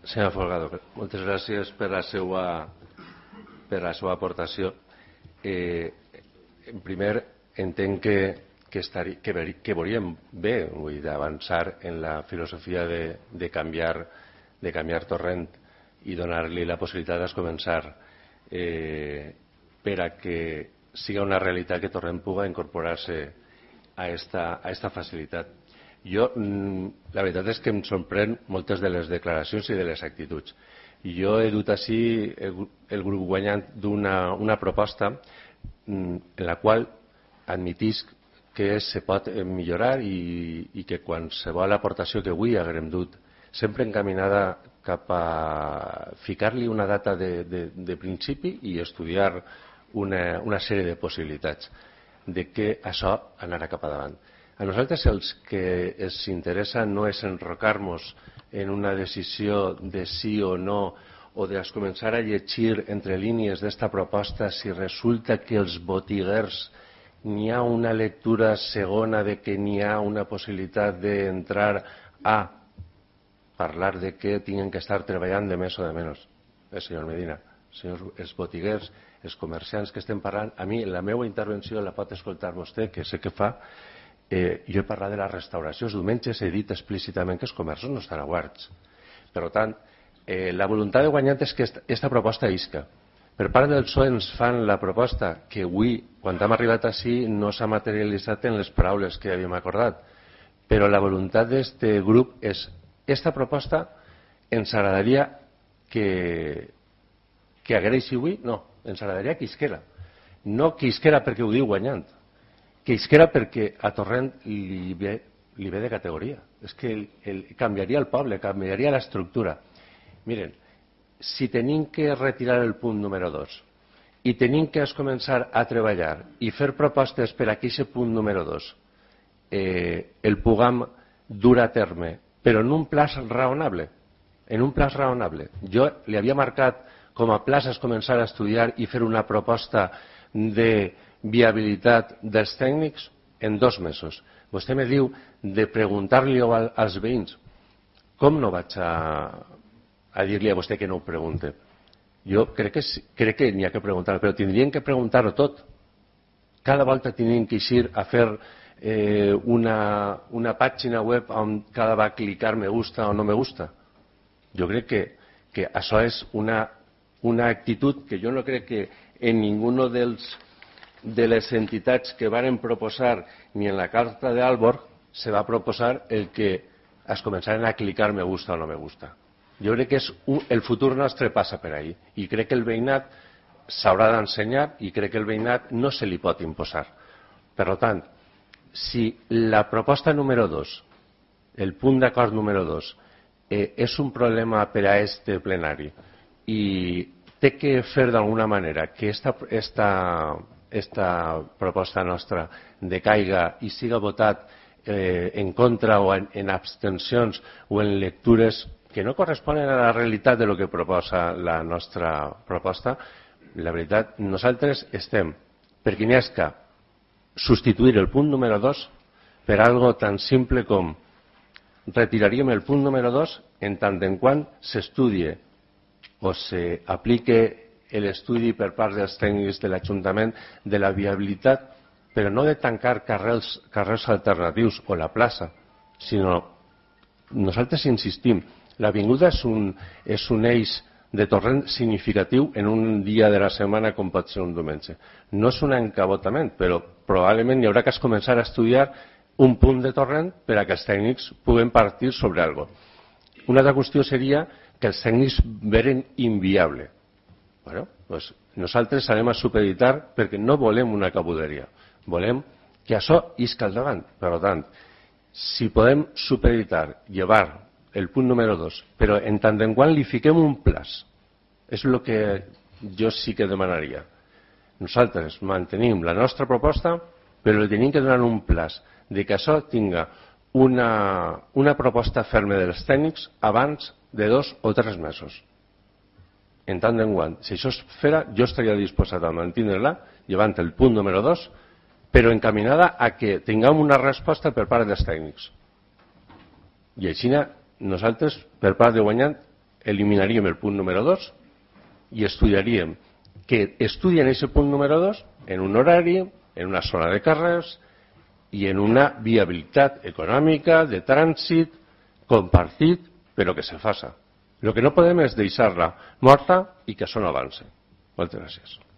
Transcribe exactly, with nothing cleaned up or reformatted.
Senyor Folgado, moltes gràcies per la seva, per la seva aportació. Eh, en primer, entenc que, que, estari, que, ver, que veuríem bé d'avançar en la filosofia de, de, canviar, de canviar Torrent i donar-li la possibilitat de començar eh, per a que siga una realitat que Torrent pugui incorporar-se a esta, a esta facilitat. Jo, la veritat és que em sorprèn moltes de les declaracions i de les actituds. Jo he dut així el, el grup guanyant d'una una proposta en la qual admetisc que se pot millorar i, i que qualsevol aportació que avui haguem dut, sempre encaminada cap a ficar-li una data de, de, de principi i estudiar una, una sèrie de possibilitats de que això anarà cap endavant. A nosaltres els que ens interessa no és enrocar-nos en una decisió de sí o no o de començar a llegir entre línies d'esta proposta si resulta que els botiguers n'hi ha una lectura segona de que n'hi ha una possibilitat d'entrar a parlar de que tinguin que estar treballant de més o de menys. Eh, senyor Medina, senyors, els botiguers, els comerciants que estem parlant, a mi la meva intervenció la pot escoltar vostè, que sé que fa. Eh, jo he parlat de la restauració. Els diumenges he dit explícitament que els comerços no estan oberts. Per tant, eh, la voluntat de guanyar és que aquesta proposta isca. Per part del P S O E ens fan la proposta que avui, quan hem arribat així, no s'ha materialitzat en les paraules que havíem acordat. Però la voluntat d'aquest grup és aquesta proposta ens agradaria que, que agraeixi avui? No, ens agradaria que isquera. No que isquera perquè ho diu guanyant, que isquera perquè a Torrent li ve, li ve de categoria. És que el, el, canviaria el poble, canviaria l'estructura. Miren, si tenim que retirar el punt número dos i tenim que començar a treballar i fer propostes per a que aquest punt número dos eh, el puguem dur a terme, però en un plaç raonable, en un plaç raonable. Jo li havia marcat com a plaç començar a estudiar i fer una proposta de viabilitat dels tècnics en dos mesos. Vostè me diu de preguntar-li als veïns. Com no vaig a, a dir-li a vostè que no ho pregunte? Jo crec que, crec que n'hi ha que preguntar, però tindrien que preguntar-ho tot. Cada volta tindrien que eixir a fer eh, una, una pàgina web on cada va clicar me gusta o no me gusta. Jo crec que, que això és una, una actitud que jo no crec que en ninguno dels de les entitats que varen proposar ni en la carta d'Aalborg se va proposar el que es començaren a clicar me gusta o no me gusta. Jo crec que és un, el futur nostre passa per ahí i crec que el veïnat s'haurà d'ensenyar i crec que el veïnat no se li pot imposar. Per tant, si la proposta número dos, el punt d'acord número dos, eh, és un problema per a este plenari i té que fer d'alguna manera que esta, esta esta proposta nostra decaiga i siga votat eh, en contra o en, en abstencions o en lectures que no corresponen a la realitat de lo que proposa la nostra proposta, la veritat, nosaltres estem perquè n'hi ha substituir el punt número dos per algo tan simple com retiraríem el punt número dos en tant en quant s'estudie o s'aplique l'estudi per part dels tècnics de l'Ajuntament de la viabilitat, però no de tancar carrers, carrers alternatius o la plaça, sinó nosaltres insistim, l'avinguda és un, és un eix de Torrent significatiu en un dia de la setmana com pot ser un diumenge. No és un encabotament, però probablement hi haurà que començar a estudiar un punt de Torrent per a que els tècnics puguen partir sobre alguna cosa. Una altra qüestió seria que els tècnics veren inviable. Bueno, pues nosaltres anem a supeditar perquè no volem una cabuderia, volem que això isca al davant. Per tant, si podem supeditar, llevar el punt número dos, però en tant en quant li fiquem un plaç, és el que jo sí que demanaria. Nosaltres mantenim la nostra proposta, però li tenim que donar un plaç de que això tinga una, una proposta ferma dels tècnics abans de dos o tres mesos. En tant en quant, si això es fera, jo estaria disposat a mantenir-la, llevant el punt número dos, però encaminada a que tinguem una resposta per part dels tècnics. I així nosaltres, per part de guanyant, eliminaríem el punt número dos i estudiaríem que estudien aquest punt número dos en un horari, en una zona de carrers i en una viabilitat econòmica, de trànsit, compartit, però que se faça. El que no podem és deixar-la morta i que això no avance. Moltes gràcies.